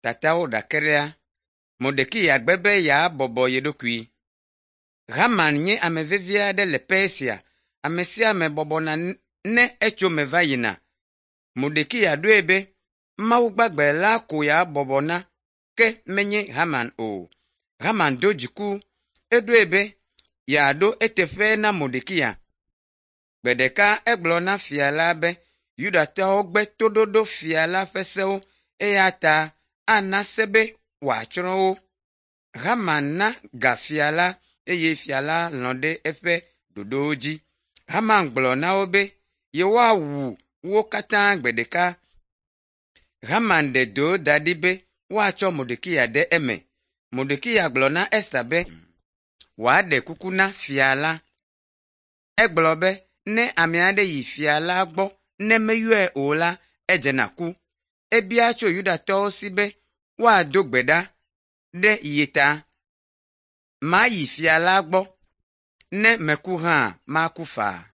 Tatawo ɖakeɖea, Mordekai gbe be yeabɔbɔ ye ɖokui. Haman nye ame vevi aɖe le Persia. Ame sia ame bɔbɔna ne etso me va yina. Mordekai ɖoe be Mawu gbagbe la ko yeabɔbɔ na ke menye Haman o. Haman do dziku. Eɖoe be yeaɖo eteƒe na Mordekai. Gbe ɖeka egblɔ na fia la be Yudatɔwo gbe toɖoɖo fia la ƒe sewo eya ta ana se be wòatsrɔ̃ wo. Haman na ga fia la eye fia la lɔ̃ ɖe eƒe ɖoɖowo dzi. Haman gblɔ na wo be yewoawu wo katã gbe ɖeka. Haman ɖe do da ɖi be woatsɔ Mordekai ɖe eme. Mordekai gblɔ na Ester be wòaɖe kuku na fia la. Egblɔ be ne ame aɖe yi fia la gbɔ ne meyɔe o la, edzena ku. Ebia tso Yudatɔwo si be woado gbe ɖa ɖe ye ta. Mayi fia la gbɔ. Ne meku hã, maku faa.